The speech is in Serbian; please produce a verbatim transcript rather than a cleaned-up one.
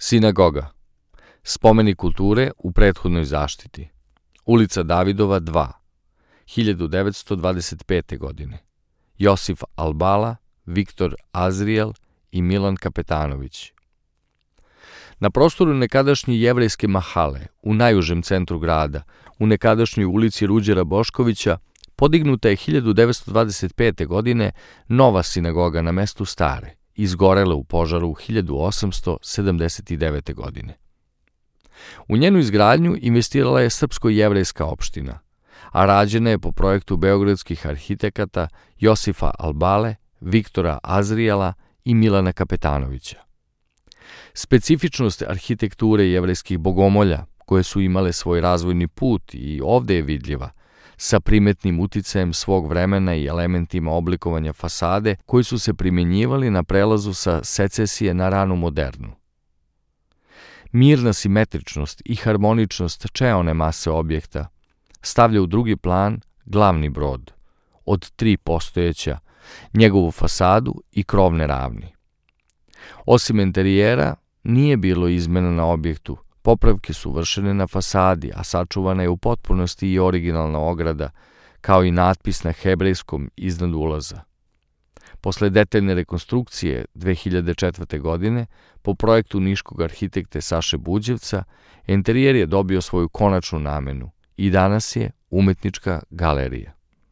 Sinagoga. Spomenik kulture u prethodnoj zaštiti. Ulica Davidova dva, hiljadu devetsto dvadeset pete. godine. Josif Albala, Viktor Azriel i Milan Kapetanović. Na prostoru nekadašnje jevrejske mahale, u najužem centru grada, u nekadašnjoj ulici Ruđera Boškovića, podignuta je hiljadu devetsto dvadeset pete. godine nova sinagoga na mestu stare, izgorela u požaru u hiljadu osamsto sedamdeset devete. godine. U njenu izgradnju investirala je srpsko-jevrejska opština, a rađena je po projektu beogradskih arhitekata Josifa Albale, Viktora Azrijela i Milana Kapetanovića. Specifičnost arhitekture jevrejskih bogomolja, koje su imale svoj razvojni put i ovde je vidljiva, sa primetnim uticajem svog vremena i elementima oblikovanja fasade koji su se primjenjivali na prelazu sa secesije na ranu modernu. Mirna simetričnost i harmoničnost čeone mase objekta stavlja u drugi plan glavni brod, od tri postojeća, njegovu fasadu i krovne ravni. Osim interijera, nije bilo izmena na objektu, popravke su vršene na fasadi, a sačuvana je u potpunosti i originalna ograda, kao i natpis na hebrejskom iznad ulaza. Posle detaljne rekonstrukcije dve hiljade četvrte. godine, po projektu niškog arhitekte Saše Buđevca, interijer je dobio svoju konačnu namenu i danas je umetnička galerija.